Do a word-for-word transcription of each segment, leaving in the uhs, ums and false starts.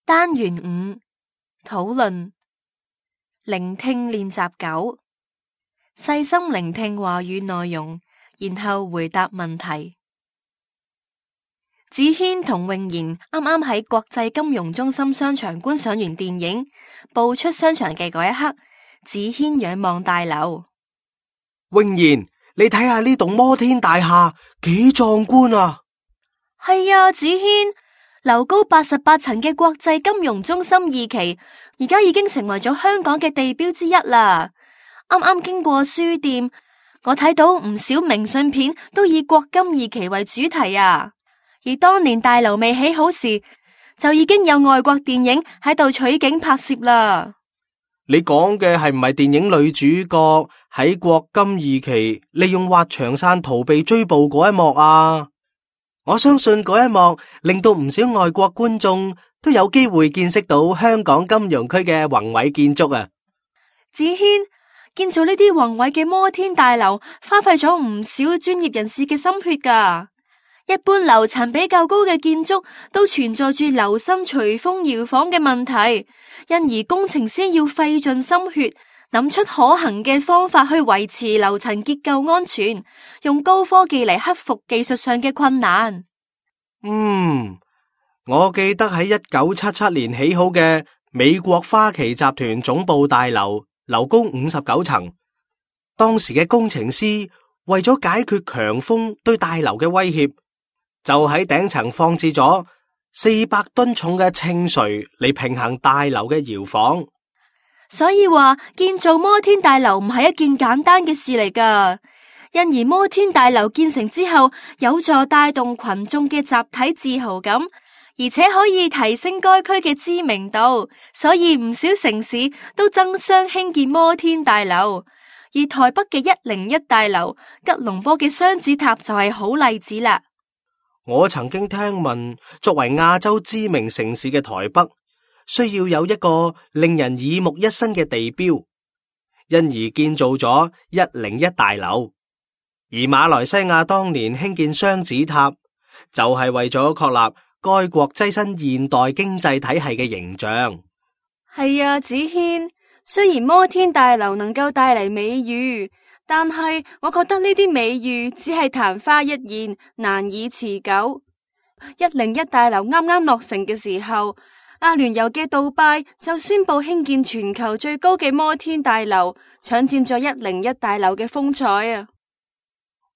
單元五討論聆聽練習九，細心聆聽話語內容，然後回答問題。子軒同穎賢啱啱喺國際金融中心商場觀賞完電影，步出商場嘅嗰一刻，子軒仰望大樓。穎賢，你睇下呢棟摩天大廈幾壯觀啊！係啊，子軒，樓高八十八層嘅國際金融中心二期，而家已經成為咗香港嘅地標之一啦。啱啱經過書店，我睇到唔少明信片都以國金二期為主題啊。而當年大樓未起好時，就已經有外國電影喺度取景拍攝啦。你講嘅係唔係電影女主角喺國金二期利用滑翔傘逃避追捕嗰一幕啊？我相信嗰一幕令到唔少外國觀眾都有機會見識到香港金融區嘅宏偉建築啊！子軒，建造呢啲宏偉嘅摩天大樓，花費咗唔少專業人士嘅心血噶。一般樓層比較高嘅建築都存在住樓身隨風搖晃嘅問題，因而工程師要費盡心血，諗出可行嘅方法去維持樓層結構安全，用高科技嚟克服技術上嘅困難。嗯，我記得喺一九七七年起好嘅美國花旗集團總部大樓，樓高五十九層，當時嘅工程師為咗解決強風對大樓嘅威脅，就喺頂層放置咗四百噸重嘅稱垂嚟平衡大樓嘅搖晃。所以話建造摩天大樓唔係一件簡單嘅事嚟噶，因而摩天大樓建成之後，有助帶動群眾嘅集體自豪感，而且可以提升該區嘅知名度，所以唔少城市都爭相興建摩天大樓。而台北嘅一零一大樓、吉隆坡嘅雙子塔就係好例子啦。我曾經聽聞，作為亞洲知名城市嘅台北，需要有一個令人耳目一新嘅地標，因而建造咗一零一大樓。而馬來西亞當年興建雙子塔，就係為咗確立該國躋身現代經濟體系嘅形象。係啊，子軒，雖然摩天大樓能夠帶嚟美譽，但係我覺得呢啲美譽只係曇花一現，難以持久。一零一大樓啱啱落成嘅時候，阿聯酋嘅杜拜就宣布興建全球最高嘅摩天大樓，搶佔咗一零一大樓嘅風采啊！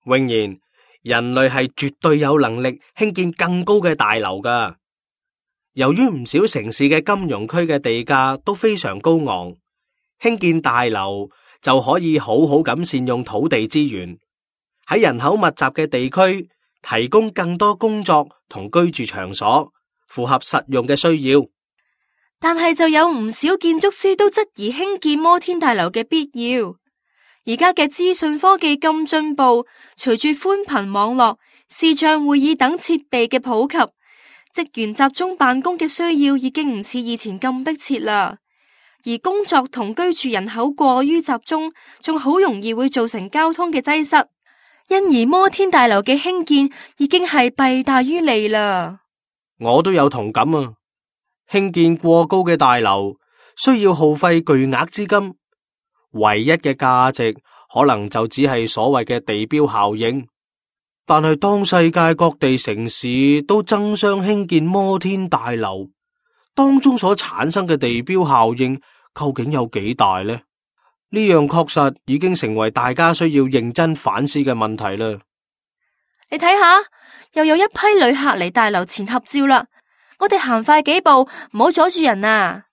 穎賢，人類係絕對有能力興建更高嘅大樓噶。由於唔少城市嘅金融區嘅地價都非常高昂，興建大樓就可以好好咁善用土地資源，喺人口密集嘅地區提供更多工作同居住場所，符合實用嘅需要。但係就有唔少建築師都質疑興建摩天大樓嘅必要。而家嘅資訊科技咁進步，隨住寬頻網絡、視像會議等設備嘅普及，職員集中辦公嘅需要已經唔似以前咁迫切啦。而工作同居住人口過於集中，仲好容易會造成交通嘅擠塞，因而摩天大樓嘅興建已經係弊大於利啦。我都有同感啊！興建過高嘅大樓需要耗費巨額資金，唯一嘅價值可能就只係所謂嘅地標效應。但係當世界各地城市都爭相興建摩天大樓，當中所產生嘅地標效應究竟有幾大呢？呢樣確實已經成為大家需要認真反思嘅問題啦。你睇下，又有一批旅客嚟大樓前合照啦。我哋行快幾步，唔好阻住人啊！